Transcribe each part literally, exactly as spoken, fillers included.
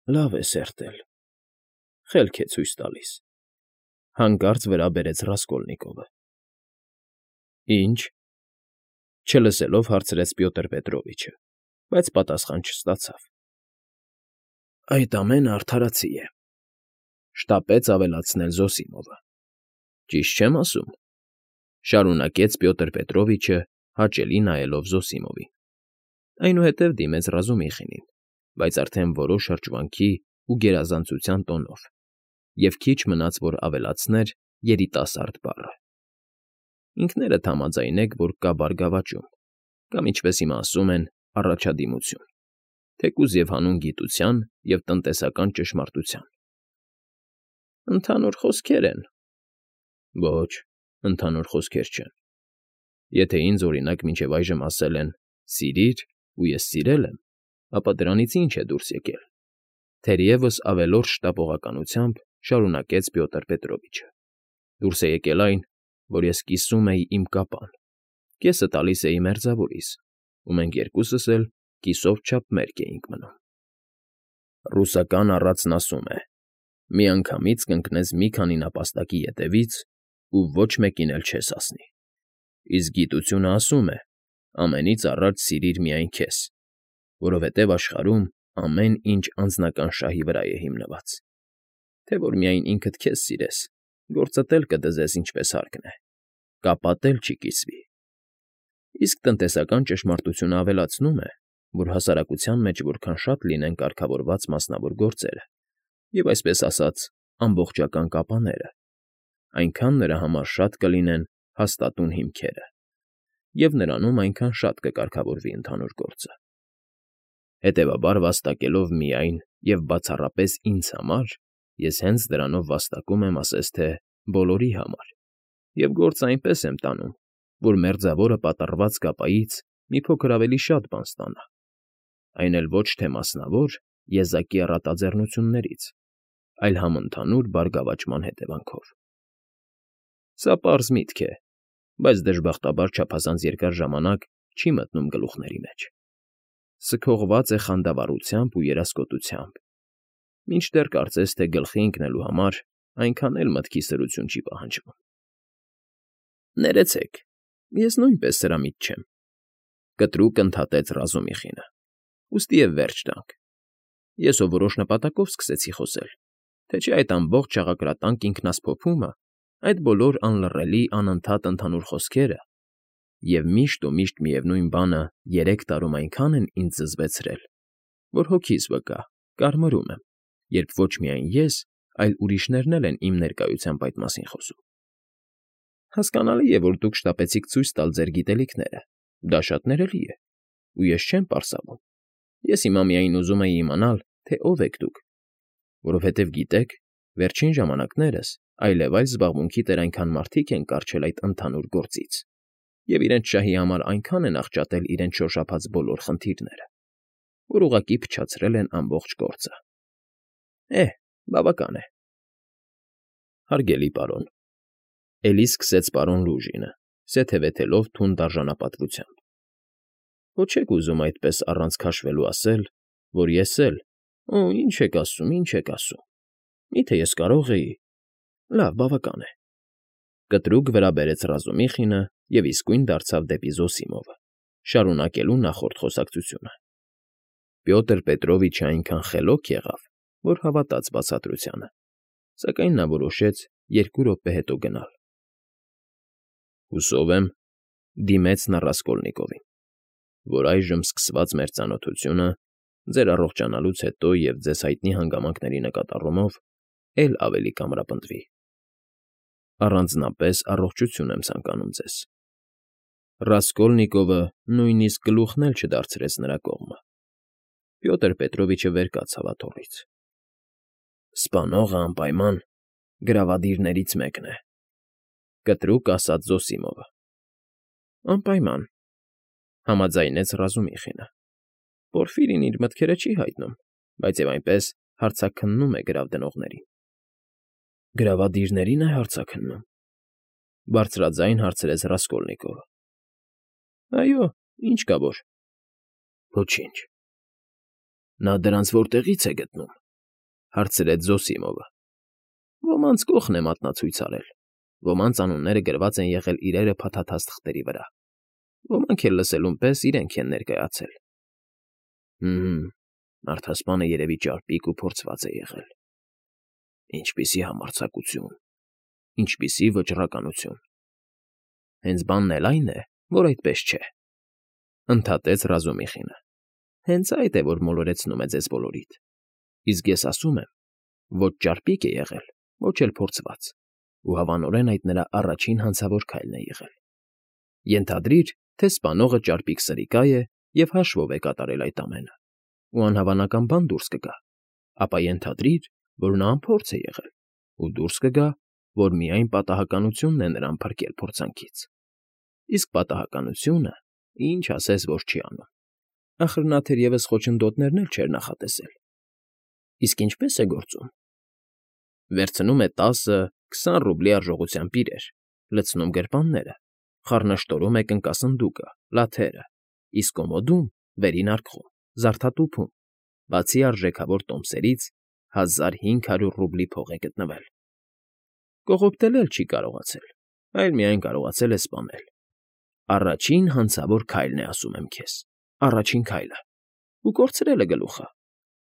Լավ է սերտել, խելք է ցույց տալիս,֊ հանկարծ վրա բերեց Ռասկոլնիկովը։ ֊ Ի՞նչ,֊ չլսելով հարցրեց Պյոտր Պետրովիչը, բայց պատասխան չստացավ։ ֊ Այդ ամենը արդարացի է,֊ շտապեց ավելացնել Զոսիմովը։ ֊ Ճիշտ չեմ ասում,֊ շարունակեց Պյոտր Պետրովիչը, հաճելի նայելով Զոսիմովին, այնուհետև դիմեց Ռազումիխինին, բայց արդեն որոշ հրճվանքի ու գերազանցության տոնով, և քիչ մնաց, որ ավելացներ երիտասարդ բառը։ Ինքներդ համաձայնեք, որ կա բարգավաճում, կամ, ինչպես հիմա ասում են, առաջադիմություն, թեկուզ և հանուն գիտության և տնտեսական ճշմարտության։ ֊ Ընդհանուր խոսքեր են,֊ Ոչ, ընդհանուր խոսքեր չեն։ Եթե ինձ, օրինակ, մինչև այժմ ասել են «սիրիր», ու ես սիրել եմ, ապա դրանից ի՞նչ է դուրս եկել,֊ թերևս ավելորդ շտապողականությամբ շարունակեց Պյոտր Պետրովիչը։ Դուրս է եկել այն, որ ես կիսում էի իմ կապան, կեսը տալիս էի մերձավորիս, ու մենք երկուսս էլ կիսով չափ մերկ էինք մնում։ Ռուսական առածն ասում է. «Միանգամից կընկնես մի քանի նապաստակի ետևից ու ոչ մեկին էլ չես հասնի», իսկ գիտությունը ասում է. «Ամենից առաջ սիրիր միայն քեզ, որովհետև աշխարհում ամեն ինչ անձնական շահի վրա է հիմնված, թե որ միայն ինքդ քեզ սիրես, գործդ էլ կդզես ինչպես հարկն է, կապատ էլ չի կիսվի»։ Իսկ տնտեսական ճշմարտությունը ավելացնում է, որ հասարակության մեջ որքան շատ լինեն կարգավորված մասնավոր գործերը և, այսպես ասած, ամբողջական կապաները, այնքան նրա համար շատ կլինեն հաստատուն հիմքերը, և նրանում այնքան շատ կկարգավորվի ընդհանուր գործը։ Հետևաբար, վաստակելով միայն և բացառապես ինձ համար, ես հենց դրանով վաստակում եմ, ասես թե բոլորի համար, և գործը այնպես եմ տանում, որ մերձավորը պատռված կապայից մի փոքր ավելի շատ բան ստանա, այն էլ ոչ թե մասնավոր, եզակի առատաձեռնություններից, այլ համընդհանուր բարգավաճման հետևանքով։ Սա պարզ միտք է, բայց դժբախտաբար չափազանց երկար ժամանակ չի մտնում գլուխների մեջ։ Սքողված է խանդավառությամբ ու երասկոտությամբ, մինչդեռ կարծես թե գլխի ընկնելու համար այնքան էլ մտքի սրություն չի պահանջվում։ ֊ Ներեցեք, ես նույնպես սրա միտ չեմ,֊ կտրուկ ընդհատեց Ռազումիխինը,֊ ուստի և վերջ տանք։ Ես հո որոշ նպատակով սկսեցի խոսել, թե չէ այդ ամբողջ շաղակրատանկ ինքնասփոփումը, այդ բոլոր անլռելի, անընդհատ ընդհանուր խոսքերը և միշտ ու միշտ միևնույն բանը երեք տարում այնքան են ինձ զզվեցրել, որ հոգիս վկա, կարմրում եմ, երբ ոչ միայն ես, այլ ուրիշներն էլ են իմ ներկայությամբ այդ մասին խոսում։ Հասկանալի է, որ դուք շտապեցիք ցույց տալ ձեր գիտելիքները, դա շատ ներելի է, ու ես չեմ պարսավում։ Ես հիմա միայն ուզում էի իմանալ, թե ով եք դուք, որովհետև, գիտեք, վերջին ժամանակներս այլևայլ զբաղմունքի տեր այնքան մարդիկ են կառչել այդ ընդհանուր գործից և իրենց շահի համար այնքան են աղճատել իրենց շոշափած բոլոր խնդիրները, որ ուղղակի փչացրել են ամբողջ գործը։ Է՛հ, բավական է։ Հարգելի պարոն,֊ էլի սկսեց պարոն Լուժինը, սեթևեթելով թունդ արժանապատվությամբ,֊ հո չեք ուզում այդպես առանց քաշվելու ասել, որ ես էլ… Օ՜, ինչ եք ասում, ինչ եք ասում… Մի՞թե ես կարող էի… Լավ, բավական է,֊ կտրուկ վրա բերեց Ռազումիխինը և իսկույն դարձավ դեպի Զոսիմովը, շարունակելու նախորդ խոսակցությունը։ Պյոտր Պետրովիչը այնքան խելոք եղավ, որ հավատաց բացատրությանը, սակայն նա որոշեց երկու րոպե հետո գնալ։ ֊ Հուսով եմ,֊ դիմեց նա Ռասկոլնիկովին,֊ որ այժմ սկսված մեր ծանոթությունը ձեր առողջանալուց հետո և ձեզ հայտնի հանգամանքների նկատառումով էլ ավելի կամրապնդվի։ Առանձնապես առողջություն եմ ցանկանում ձեզ։ Ռասկոլնիկովը նույնիսկ գլուխն էլ չդարձրեց նրա կողմը։ Պյոտր Պետրովիչը վեր կացավ աթոռից։ ֊ Սպանողը անպայման գրավադիրներից մեկն է,֊ կտրուկ ասաց Զոսիմովը։ ֊ Անպայման,֊ համաձայնեց Ռազումիխինը։ Պորֆիրին իր մտքերը չի հայտնում, բայց և այնպես հարցաքննում է գրավդնողներին։ ֊ Գրավադիրների՞ն է հարցաքննում,֊ բարձրաձայն հարցրեց Ռասկոլնիկովը։ ֊ Այո, ինչ կա որ։ ֊ Ոչինչ։ Նա դրանց որտեղի՞ց է գտնում։ Հարցրեց Զոսիմովը։ Ոմանց կողն է մատնացույց արել, ոմանց անունները գրված են եղել իրերը փաթաթած թղթերի վրա, ոմանք էլ լսելուն պես իրենք են ներկայացել։ Հմ, մարդասպանը երևի ճարպիկ ու փորձված է եղել։ Ինչպիսի համարձակություն, ինչպիսի վճռականություն։ Հենց բանն էլ այն է, որ այդպես չէ, ընդհատեց Ռազումիխինը։ Հենց այդ է, որ մոլորեցնում է ձեզ բոլորիդ։ Իսկ ես ասում եմ, ոչ ճարպիկ է եղել, ոչ էլ փորձված, ու հավանորեն այդ նրա առաջին հանցավոր քայլն է եղել։ Ենթադրիր, թե սպանողը ճարպիկ սրիկա է և հաշվով է կատարել այդ ամենը, ու անհավանական բան դուրս կգա, ապա ենթադրիր, որ նա անփորձ է եղել, ու դուրս կգա, որ միայն պատահականությունն է նրան փրկել փորձանքից։ Իսկ պատահականությունը, ինչ ասես, որ չի անում։ Ախր նա թերևս խոչընդոտներն էլ չէր նախատեսել։ Իսկ ինչպե՞ս է գործում։ Վերցնում է տասը, քսան ռուբլի արժողությամբ իրեր, լցնում գրպանները, խառնաշտորում է կնկասնդուկը, լաթերը, իսկ կոմոդում, վերին արկղում, զարդատուփում, բացի արժեքավոր տոմսերից, հազար հինգ հարյուր ռուբլի փող է գտնվել։ Կողոպտել էլ չի կարողացել, այլ միայն կարողացել է սպանել։ Առաջին հանցավոր քայլն է, ասում եմ քեզ, առաջին քայլը, ու կորցրել է գլուխը,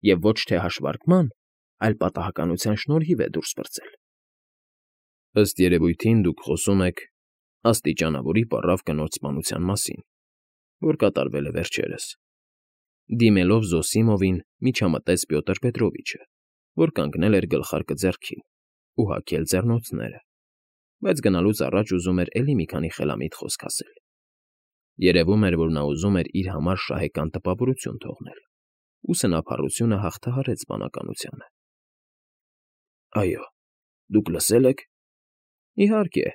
և ոչ թե հաշվարկման, այլ պատահականության շնորհիվ է դուրս պրծել։ Ըստ երևույթին դուք խոսում եք աստիճանավորի պառավ կնոջ սպանության մասին, որ կատարվել է վերջերս։ Դիմելով Զոսիմովին միջամտեց Պյոտր Պետրովիչը, որ կանգնել էր գլխարկը ձեռքին ու հագել ձեռնոցները, բայց գնալուց առաջ ուզում էր էլի մի քանի խելամիտ խոսք ասել։ Երևում էր, որ նա ուզում էր իր համար շահեկան տպավորություն թողնել, ու սնափառությունը հաղթահարեց բանականությանը։ Այո, դուք լսել եք։ Իհարկե,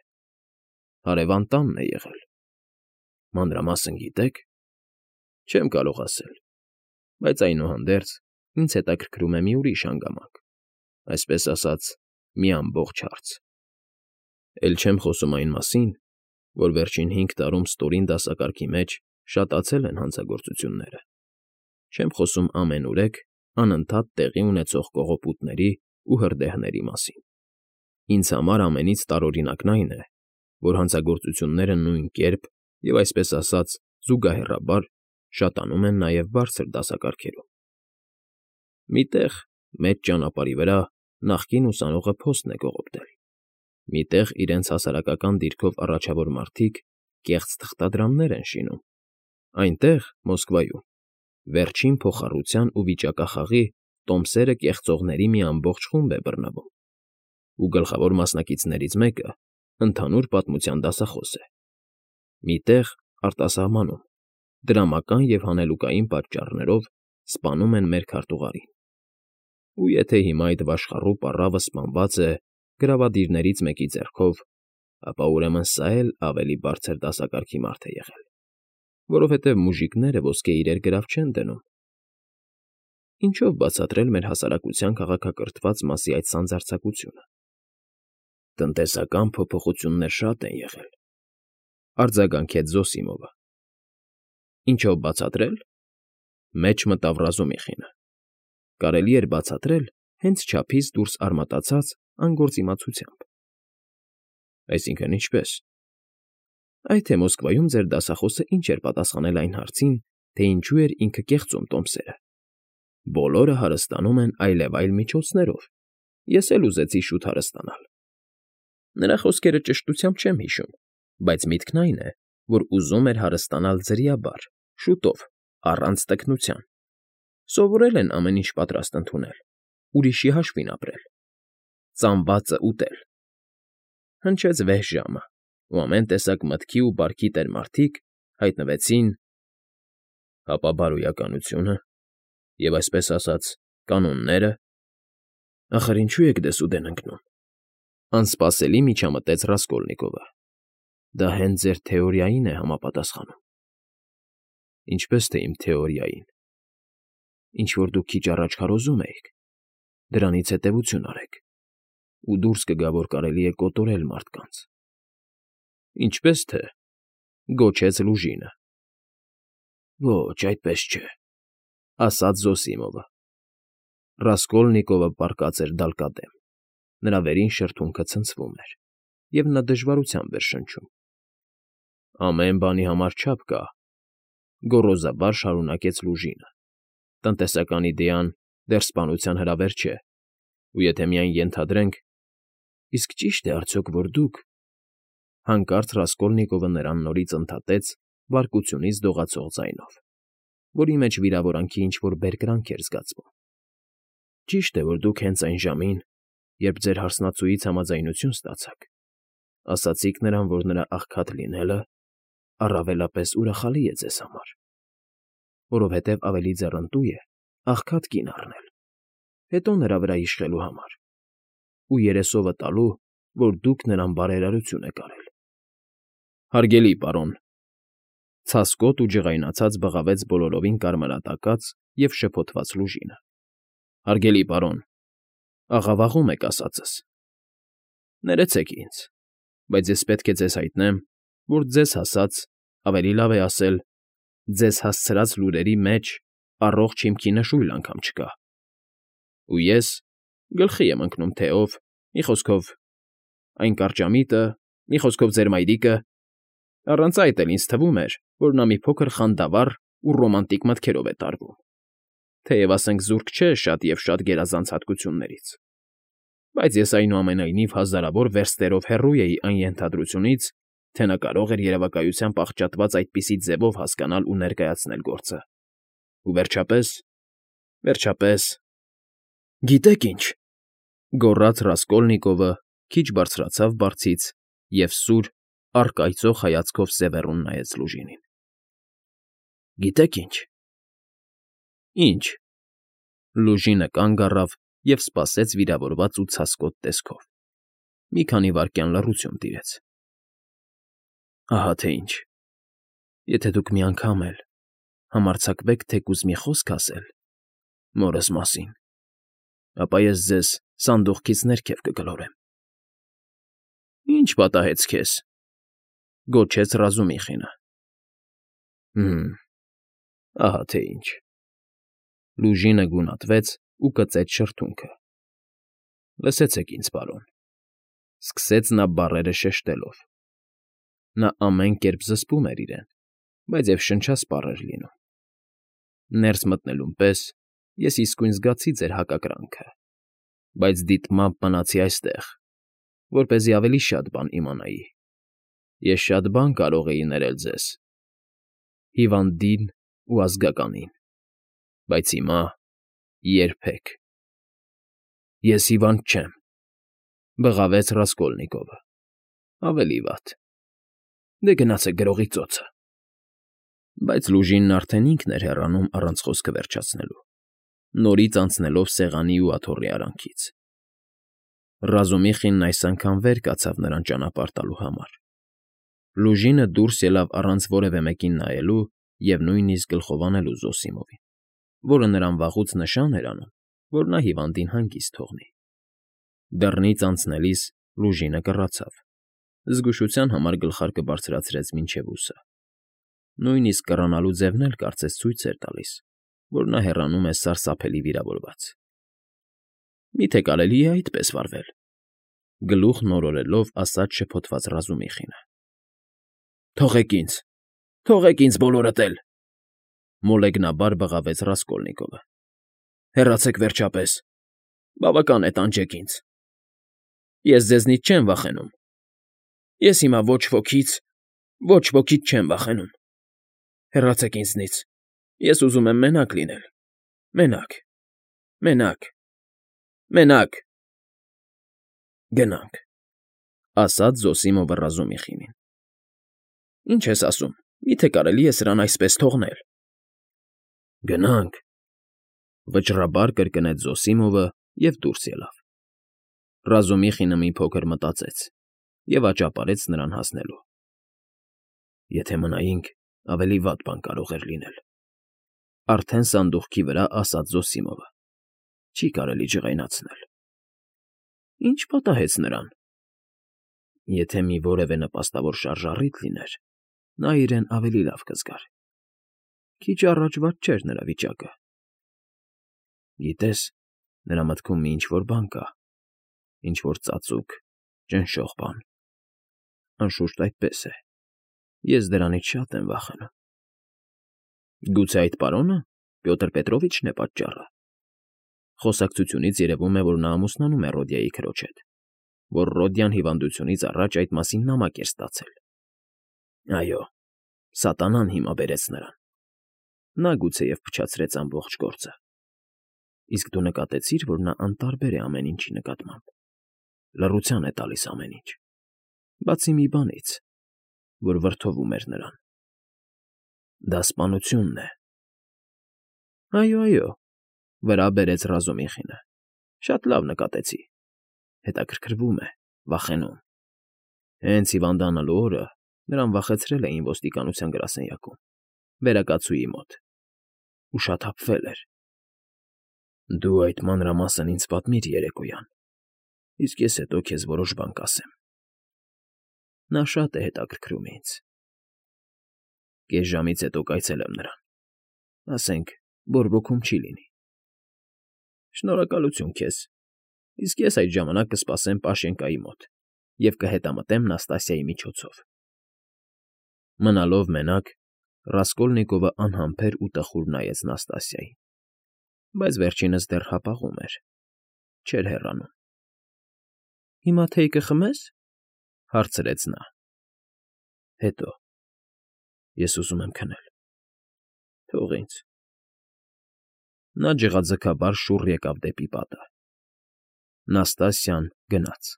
հարևան տանն է եղել։ Մանրամասն գիտեք։ Չեմ կարող ասել, բայց այնուհանդերձ ինձ հետաքրքրում է մի ուրիշ հանգամանք, այսպես ասած, մի ամբողջ հարց։ Էլ չեմ խոսում այն մասին, որ վերջին հինգ տարում ստորին դասակարգի մեջ շատացել են հանցագործությունները։ Չեմ խոսում ամենուրեք անընդհատ տեղի ունեցող կողոպուտների ու հրդեհների մասին։ Ինձ համար ամենից տարօրինակն այն է, որ հանցագործությունները նույն կերպ և, այսպես ասած, զուգահեռաբար շատանում են նաև բարձր դասակարգերում։ Մի տեղ, մեծ ճանապարհի վրա, նախկին ուսանողը փոստն է կողոպտել։ Մի տեղ իրենց հասարակական դիրքով առաջավոր մարդիկ կեղծ թղթադրամներ են շինում։ Այնտեղ, Մոսկվայում, վերջին փոխառության ու վիճակախաղի տոմսերը կեղծողների մի ամբողջ խումբ է բռնվում, ու գլխավոր մասնակիցներից մեկը ընդհանուր պատմության դասախոս է։ Մի տեղ, արտասահմանում, դրամական և հանելուկային պատճառներով սպանում են մեր քարտուղարին։ Ու եթե հիմա այդ վաշխառու պառավը սպանված է գրավադիրներից մեկի ձեռքով, ապա ուրեմն սա էլ ավելի բարձր դասակարգի մարդ է եղել, որովհետև մուժիկները ոսկե իրեր գրավ չեն դնում։ Ինչո՞վ բացատրել մեր հասարակության քաղաքակրթված մասի այդ սանձարձակությունը։ Տնտեսական փոփոխություններ շատ են եղել, արձագանքեց Զոսիմովը։ Ինչո՞վ բացատրել։ Մեջ մտավ Ռազումիխինը։ Կարելի էր բացատրել հենց չափից դուրս արմատացած անգործիմացությամբ։ Այսինքն ինչպե՞ս։ Այ թե Մոսկվայում ձեր դասախոսը ինչ էր պատասխանել այն հարցին, թե ինչու էր ինքը կեղծում տոմսերը։ Բոլորը հարստանում են այլևայլ միջոցներով։ Ես էլ ուզեցի շուտ հարստանալ։ Նրա խոսքերը ճշտությամբ չեմ հիշում, բայց միտքն այն է, որ ուզում էր հարստանալ ձրիաբար, շուտով, առանց տքնության։ Սովորել են ամեն ինչ պատրաստ ընդունել, ուրիշի հաշվին ապրել, ծամվածը ուտել։ Հնչեց վեհ ժամը, ու ամեն տեսակ մտքի ու բարքի տեր մարդիկ հայտնվեցին։ Հապա բարոյականությունը և, այսպես ասած, կանոնները։ Ախր ինչու եք դեսուդեն ընկնում։ Անսպասելի միջամտեց Ռասկոլնիկովը։ Դա հենց ձեր թեորիային է համապատասխանում։ Ինչպես թե իմ թեորիային։ Ինչ֊որ դուք քիչ առաջ քարոզում էիք, դրանից հետևություն արեք, ու դուրս կգա, որ կարելի է կոտորել մարդկանց։ Ինչպես թե, գոչեց Լուժինը։ Ոչ, այդպես չէ, ասաց Զոսիմովը։ Ռասկոլնիկովը պառկած էր դալկադեմ, նրա վերին շրթունքը ցնցվում էր, և նա դժվարությամբ էր շնչում։ ֊ Ամեն բանի համար չափ կա,֊ գոռոզաբար շարունակեց Լուժինը,֊ տնտեսական իդեան դեռ սպանության հրավեր չէ, ու եթե միայն ենթադրենք… Իսկ ճի՞շտ է արդյոք, որ դուք… Հանկարծ Ռասկոլնիկովը նրան նորից ընդհատեց բարկությունից դողացող ձայնով, որի մեջ վիրավորանքի ինչ֊որ բերկրանք էր զգացվում։ Ճիշտ է, որ դուք հենց այն ժամին, երբ ձեր հարսնացուից համաձայնություն ստացաք, ասացիք նրան, որ նրա աղքատ լինելը առավելապես ուրախալի է ձեզ համար, որովհետև ավելի ձեռնտու է աղքատ կին առնել, հետո նրա վրա իշխելու համար, ու երեսովը տալու, որ դուք նրան բարերարություն եք արել։ ֊ Հարգելի պարոն,֊ ցասկոտ ու ջղայնացած բղավեց բոլորովին կարմրատակած և շփոթված Լուժինը,֊ հարգելի պարոն, աղավաղում եք ասածս… Ներեցեք ինձ, բայց ես պետք է ձեզ հայտնեմ, որ ձեզ հասած, ավելի լավ է ասել, ձեզ հասցրած լուրերի մեջ առողջ հիմքի նշույլ անգամ չկա, ու ես գլխի եմ ընկնում, թե ով, մի խոսքով, այն կարճամիտը, մի խոսքով ձեր մայրիկը… Առանց այդ էլ ինձ թվում էր, որ նա մի փոքր խանդավառ ու ռոմանտիկ մտքերով է տարվում, թեև, ասենք, զուրկ չէ շատ և շատ գերազանց հատկություններից, բայց ես, այնուամենայնիվ, հազարավոր վերստերով հեռու էի այն ենթադրությունից, թե նա կարող էր երևակայությամբ աղճատված այդպիսի ձևով հասկանալ ու ներկայացնել գործը, ու վերջապես… վերջապես… Գիտե՞ք ինչ,֊ գոռաց Ռասկոլնիկովը, քիչ բարձրացավ բարձից և սուր, առկայծող հայացքով սևեռուն նայեց Լուժինին։֊ Գիտե՞ք ինչ։ ֊ Ի՞նչ,֊ Լուժինը կանգ առավ և սպասեց վիրավորված ու ցասկոտ տեսքով, մի քանի վայրկյան լռություն տիրեց։ ֊ Ահա թե ինչ. եթե դուք մի անգամ էլ համարձակվեք թեկուզ մի խոսք ասել մորս մասին, ապա ես ձեզ սանդուղքից ներքև կգլորեմ։ ֊ Ի՞նչ պատահեց քեզ,֊ գոչեց Ռազումիխինը։ ֊ Հը՜մ, ահա թե ինչ… Լուժինը գունատվեց ու կծեց շրթունքը։ ֊ Լսեցեք ինձ, պարոն,֊ սկսեց նա բառերը շեշտելով. նա ամեն կերպ զսպում էր իրեն, բայց և շնչասպառ էր լինում։ Ներս մտնելուն պես ես իսկույն զգացի ձեր հակակրանքը, բայց դիտմամբ մնացի այստեղ, որպեսզի ավելի շատ բան իմանայի. ես շատ բան կարող էի ներել ձեզ, հիվանդին ու ազգականին, բայց հիմա… երբեք… ֊ Ես հիվանդ չեմ,֊ բղավեց Ռասկոլնիկովը,֊ ավելի վատ… Դե գնացեք գրողի ծոցը… Բայց Լուժինն արդեն ինքն էր հեռանում առանց խոսքը վերջացնելու, նորից անցնելով սեղանի ու աթոռի արանքից։ Ռազումիխինն այս անգամ վեր կացավ նրան ճանապարհ տալու համար։ Լուժինը դուրս ելավ առանց որևէ մեկին նայելու և նույնիսկ գլխով անելու Զոսիմովին, որը նրան վաղուց նշան էր անում, որ նա հիվանդին հանգիստ թողնի։ Դռնից անցնելիս Լուժինը կռացավ, զգուշության համար գլխարկը բարձրացրեց մինչև ուսը, նույնիսկ կռանալու ձևն էլ կարծես ցույց էր տալիս, որ նա հեռանում է սարսափելի վիրավորված։ Մի՞թե կարելի է այդպես վարվել,֊ գլուխ նորորելով ասաց շփոթված Ռազումիխինը։ ֊ Թողեք ինձ… Թողեք ինձ բոլորդ էլ,֊ մոլեգնաբար բղավեց Ռասկոլնիկովը։֊ Հեռացեք վերջապես… Բավական է, տանջեք ինձ… Ես ձեզնից չեմ վախենում… Ես հիմա ոչ ոքից… ոչ ոքից չեմ վախենում… Հեռացեք ինձնից… Ես ուզում եմ մենակ լինել… Մենակ… մենակ… մենակ… Գնանք,֊ ասաց Զոսիմովը Ռազումիխինին։ ֊ Ի՞նչ ես ասում… Մի՞թե կարելի է սրան այսպես թողնել։ ֊ Գնանք,֊ վճռաբար կրկնեց Զոսիմովը և դուրս ելավ։ Ռազումիխինը մի փոքր մտածեց և աճապարեց նրան հասնելու։ Եթե մնայինք, ավելի վատ բան կարող էր լինել,֊ արդեն սանդուղքի վրա ասաց Զոսիմովը,֊ չի կարելի ջղայնացնել։ ֊ Ի՞նչ պատահեց նրան։ ֊ Եթե մի որևէ նպաստավոր շարժառիթ լիներ, նա իրեն ավելի լավ կզգար… Քիչ առաջ վատ չէր նրա վիճակը։ ֊ Գիտես, Նրա մտքում մի ինչ֊որ բան կա, ինչ֊որ ծածուկ, ճնշող բան։ Անշուշտ այդպես է, ես դրանից շատ եմ վախենում։ Գուցե այդ պարո՞նը Պյոտր Պետրովիչն է պատճառը։ Խոսակցությունից երևում է, որ նա ամուսնանում է Ռոդիայի քրոջ հետ, որ Ռոդիան հիվանդությունից առաջ այդ մասին նամակ էր ստացել։ Այո, սատանան հիմա բերեց նրան։ Նա գուցեև փչացրեց ամբողջ գործը։ Իսկ դու նկատեցի՞ր, որ նա անտարբեր է ամեն ինչի նկատմամբ, լռության է տալիս ամեն ինչ, բացի մի բանից, որ վրդովում էր նրան։ Դա սպանությունն է։ Այո, այո, վրա բերեց Ռազումիխինը։ Շատ լավ նկատեցի։ Հետաքրքրվում է, վախենում։ Հենց հիվանդանալու օրը նրան վախեցրել էին ոստիկանության գրասենյակում, վերակացուի մոտ, ու շաթափվել էր։ Դու այդ մանրամասն ինձ պատմիր երեկոյան, իսկ ես հետո քեզ որոշ բան կասեմ։ Նա շատ է հետաքրքրում ինձ։ Կես ժամից հետո կայցելեմ նրան, ասենք, բորբոքում չի լինի։ Շնորհակալություն քեզ, իսկ ես այդ ժամանակ կսպասեմ Պաշենկայի մոտ և կհետամտեմ Նաստասիայի միջոցով։ Մնալով մենակ, Ռասկոլնիկովը անհամբեր ու տխուր նայեց Նաստասիային, բայց վերջինս դեռ հապաղում էր, չէր հեռանում։ Հիմա թեյ կխմե՞ս, հարցրեց նա։ Հետո։ Ես ուզում եմ քնել։ Թող ինձ։ Նա ջղաձգաբար շուռ եկավ դեպի պատը։ Նաստասիան գնաց։